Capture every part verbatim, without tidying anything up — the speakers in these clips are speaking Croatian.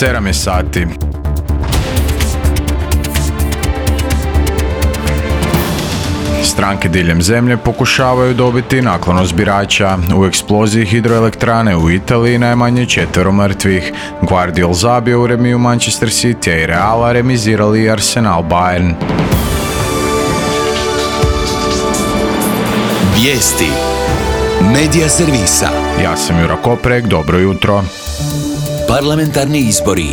sedam je sati. Stranke diljem zemlje pokušavaju dobiti naklonost birača. U eksploziji hidroelektrane u Italiji najmanje četvero mrtvih. Guardiol zabio u remiju Manchester City i Reala remizirali Arsenal Bayern. Vijesti Medija servisa. Ja sam Jura Koprek, dobro jutro. Parlamentarni izbori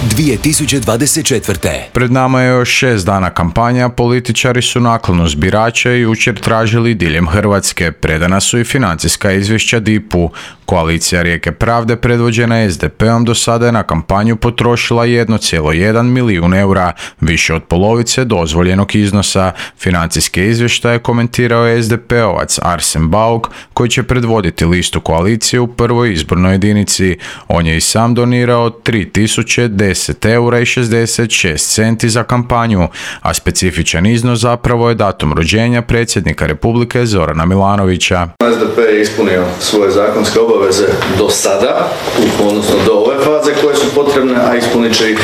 dvije tisuće dvadeset četvrte. Pred nama je još šest dana kampanja, političari su naklonost birača i jučer tražili diljem Hrvatske. Predana su i financijska izvješća D I P-u. Koalicija Rijeke pravde predvođena S D P-om do sada je na kampanju potrošila jedan zarez jedan milijun eura, više od polovice dozvoljenog iznosa. Financijske izvještaje komentirao je S D P-ovac Arsen Bauk, koji će predvoditi listu koalicije u prvoj izbornoj jedinici. On je i sam donirao tri tisuće deset eura i šezdeset šest centi za kampanju, a specifičan iznos zapravo je datum rođenja predsjednika Republike Zorana Milanovića. S D P je ispunio svoje zakonske obaveze do sada, odnosno do ove faze koje su potrebne, a ispunit će ih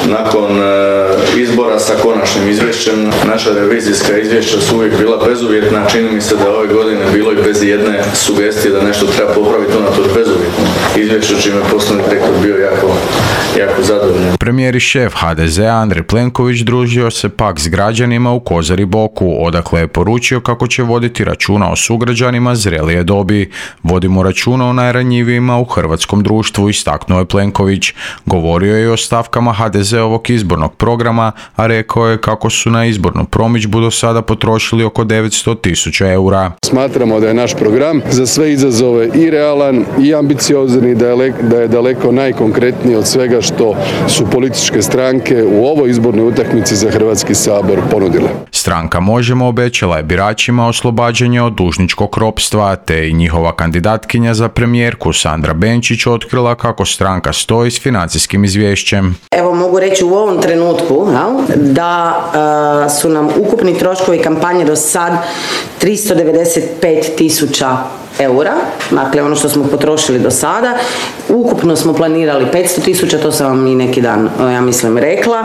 nakon izbora sa konačnim izvješćem. Naša revizijska izvješća su uvijek bila bezuvjetna, čini mi se da ove godine bilo i bez jedne sugestije da nešto treba popraviti unatoč bezuvjetnom izvješću, čime poslovni direktor bio jako, jako zadovoljan. Premijer i šef H D Z-a Andrej Plenković družio se pak s građanima u Kozari Boku, odakle je poručio kako će voditi računa o sugrađanima zrelije dobi. Vodimo računa o najranjivijima u hrvatskom društvu, istaknuo je Plenković. Govorio je i o stavkama H D Z-ovog izbornog programa, a rekao je kako su na izbornu promidžbu do sada potrošili oko devetsto tisuća eura. Smatramo da je naš program za sve izazove i realan i ambiciozan i da je daleko najkonkretniji od svega što su političke stranke u ovoj izbornoj utakmici za Hrvatski sabor ponudile. Stranka Možemo obećala je biračima oslobađanje od dužničkog ropstva, te i njihova kandidatkinja za premijerku Sandra Benčić otkrila kako stranka stoji s financijskim izvješćem. Evo mogu reći u ovom trenutku da uh, su nam ukupni troškovi kampanje do sad tristo devedeset pet tisuća eura, dakle ono što smo potrošili do sada. Ukupno smo planirali petsto tisuća, to sam vam i neki dan, ja mislim, rekla.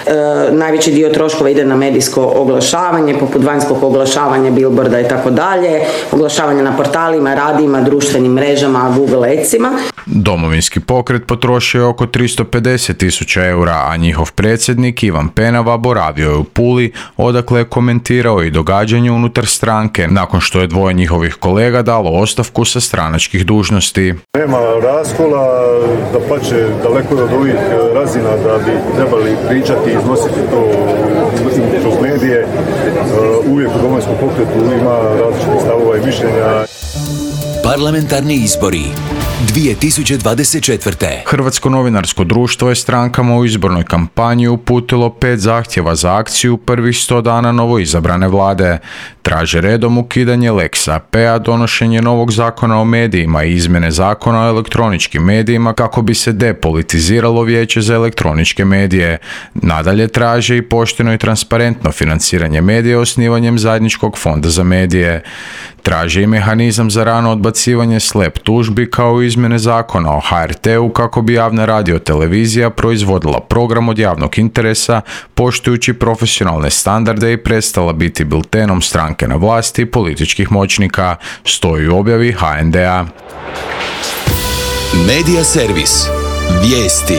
E, najveći dio troškova ide na medijsko oglašavanje, poput vanjskog oglašavanja, billboarda i tako dalje, oglašavanje na portalima, radijima, društvenim mrežama, Google Adsima. Domovinski pokret potrošio je oko tristo pedeset tisuća eura, a njihov predsjednik Ivan Penava boravio je u Puli, odakle je komentirao i događanje unutar stranke, nakon što je dvoje njihovih kolega dalo ostavku sa stranačkih dužnosti. Nema raskola, da pače daleko od ovih razina da bi trebali pričati i iznositi to kroz medije. Uvijek u Domovinskom pokretu ima različitih stavova i mišljenja. Parlamentarni izbori dvije tisuće dvadeset četvrte. Hrvatsko novinarsko društvo je strankama u izbornoj kampanji uputilo pet zahtjeva za akciju prvih sto dana novoizabrane vlade. Traže redom ukidanje Lex A P-a, donošenje novog zakona o medijima i izmjene zakona o elektroničkim medijima kako bi se depolitiziralo Vijeće za elektroničke medije. Nadalje traže i pošteno i transparentno financiranje medija osnivanjem zajedničkog fonda za medije. Traže i mehanizam za rano odbacivanje slep tužbi kao i izmjene zakona o H R T-u kako bi javna radiotelevizija proizvodila program od javnog interesa poštujući profesionalne standarde i prestala biti biltenom stranke na vlasti i političkih moćnika, stoji u objavi H N D-a. Medija servis. Vijesti.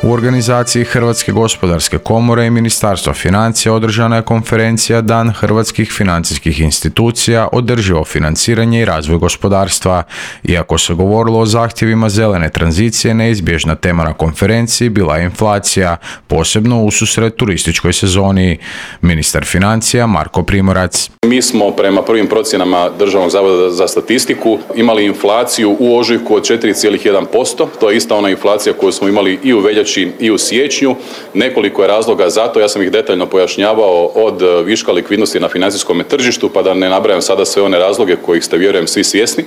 U organizaciji Hrvatske gospodarske komore i Ministarstva financija održana je konferencija Dan hrvatskih financijskih institucija, održivo financiranje i razvoj gospodarstva. Iako se govorilo o zahtjevima zelene tranzicije, neizbježna tema na konferenciji bila je inflacija, posebno ususret turističkoj sezoni. Ministar financija Marko Primorac. Mi smo prema prvim procjenama Državnog zavoda za statistiku imali inflaciju u ožujku od četiri zarez jedan posto. To je ista ona inflacija koju smo imali i u veljači i u siječnju. Nekoliko je razloga za to, ja sam ih detaljno pojašnjavao, od viška likvidnosti na financijskom tržištu, pa da ne nabrajam sada sve one razloge kojih ste, vjerujem, svi svjesni.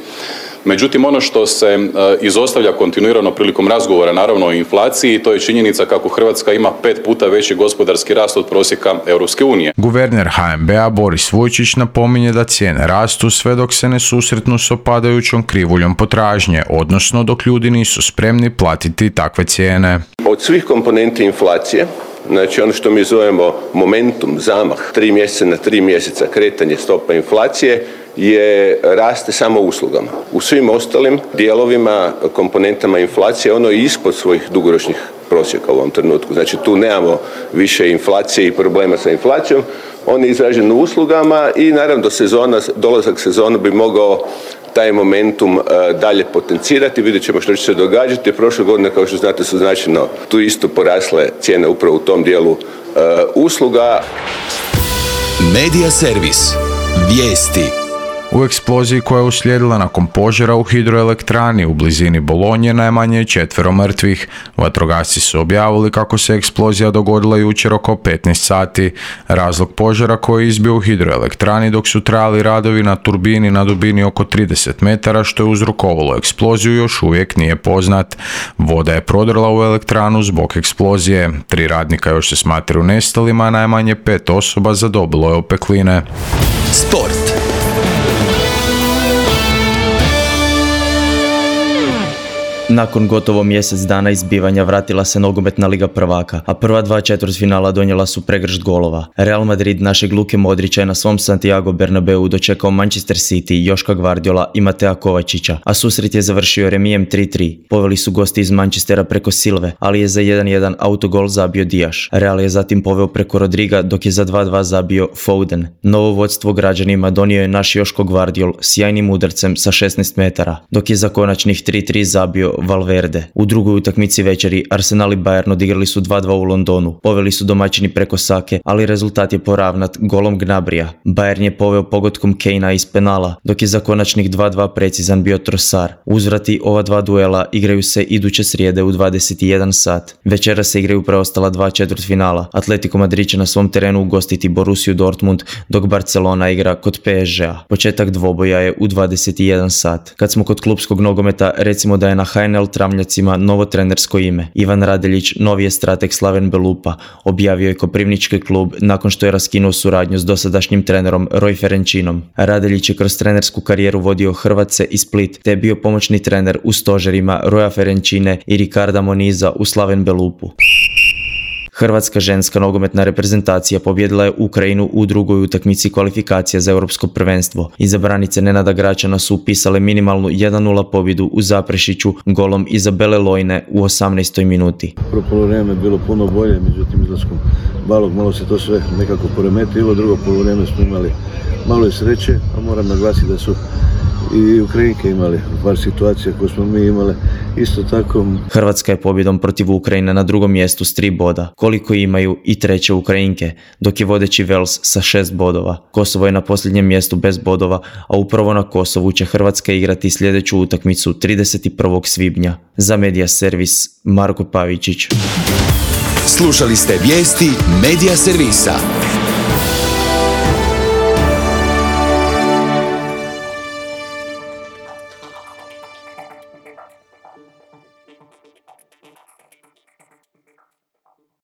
Međutim, ono što se izostavlja kontinuirano prilikom razgovora, naravno o inflaciji, to je činjenica kako Hrvatska ima pet puta veći gospodarski rast od prosjeka Europske unije. Guverner ha en be a Boris Vujčić napominje da cijene rastu sve dok se ne susretnu s opadajućom krivuljom potražnje, odnosno dok ljudi nisu spremni platiti takve cijene. Od svih komponenti inflacije, znači ono što mi zovemo momentum, zamah, tri mjeseca na tri mjeseca kretanje stopa inflacije, je raste samo uslugama. U svim ostalim dijelovima, komponentama inflacije, ono je ispod svojih dugoročnih prosjeka u ovom trenutku. Znači tu nemamo više inflacije i problema sa inflacijom, on je izražen u uslugama i naravno do sezona, dolazak sezona bi mogao taj momentum uh, dalje potencirati. Vidjet ćemo što će se događati. Prošle godine, kao što znate, su značajno tu isto porasle cijene upravo u tom dijelu uh, usluga. Medija servis. Vijesti. U eksploziji koja je uslijedila nakon požara u hidroelektrani u blizini Bolonje najmanje je četvero mrtvih. Vatrogasci su objavili kako se eksplozija dogodila jučer oko petnaest sati. Razlog požara koji je izbio u hidroelektrani dok su trajali radovi na turbini na dubini oko trideset metara što je uzrokovalo eksploziju još uvijek nije poznat. Voda je prodrla u elektranu zbog eksplozije. Tri radnika još se smatraju nestalima, a najmanje pet osoba zadobilo je opekline. Sport. Nakon gotovo mjesec dana izbivanja vratila se nogometna liga prvaka, a prva dva četvrtfinala donijela su pregršt golova. Real Madrid našeg Luke Modrića je na svom Santiago Bernabeu dočekao Manchester City, Joška Gvardiola i Matea Kovačića, a susret je završio remijem tri tri. Poveli su gosti iz Manchestera preko Silve, ali je za jedan jedan autogol zabio Dijaš. Real je zatim poveo preko Rodriga, dok je za dva dva zabio Foden. Novo vodstvo građanima donio je naš Joško Gvardiol sjajnim udarcem sa šesnaest metara, dok je za konačnih tri tri zabio Valverde. U drugoj utakmici večeri Arsenal i Bayern odigrali su dva dva u Londonu. Poveli su domaćini preko Sake, ali rezultat je poravnat golom Gnabrija. Bayern je poveo pogodkom Kanea iz penala, dok je za konačnih dva dva precizan bio Trossard. Uzvrati ova dva duela igraju se iduće srijede u dvadeset jedan sat. Večera se igraju preostala dva četvrtfinala. Atletico Madrid će na svom terenu ugostiti Borussiju Dortmund, dok Barcelona igra kod pe es gea. Početak dvoboja je u dvadeset jedan sat. Kad smo kod klupskog nogometa, recimo da je na ha en el Travnjacima novo trenersko ime. Ivan Radeljić, novi je strateg Slaven Belupa, objavio je Koprivnički klub nakon što je raskinuo suradnju s dosadašnjim trenerom Roj Ferenčinom. Radeljić je kroz trenersku karijeru vodio Hrvatce i Split, te je bio pomoćni trener u stožerima Roja Ferenčine i Ricarda Moniza u Slaven Belupu. Hrvatska ženska nogometna reprezentacija pobjedila je Ukrajinu u drugoj utakmici kvalifikacija za europsko prvenstvo. Izabranice Nenada Gračana su upisale minimalnu jedan nula pobjedu u Zaprešiću golom Izabele Lojne u osamnaestoj minuti. Prvo poluvreme je bilo puno bolje, međutim izlaskom Balog malo se to sve nekako poremetilo. Drugo poluvreme smo imali malo i sreće, a moram naglasiti da su i Ukrajinke imali par situacija koje smo mi imali isto tako. Hrvatska je pobjedom protiv Ukrajine na drugom mjestu s tri boda, koliko imaju i treće Ukrajinke, dok je vodeći Vels sa šest bodova. Kosovo je na posljednjem mjestu bez bodova, a upravo na Kosovu će Hrvatska igrati sljedeću utakmicu trideset prvog svibnja. Za Medija servis Marko Pavičić. Slušali ste vijesti Medija servisa.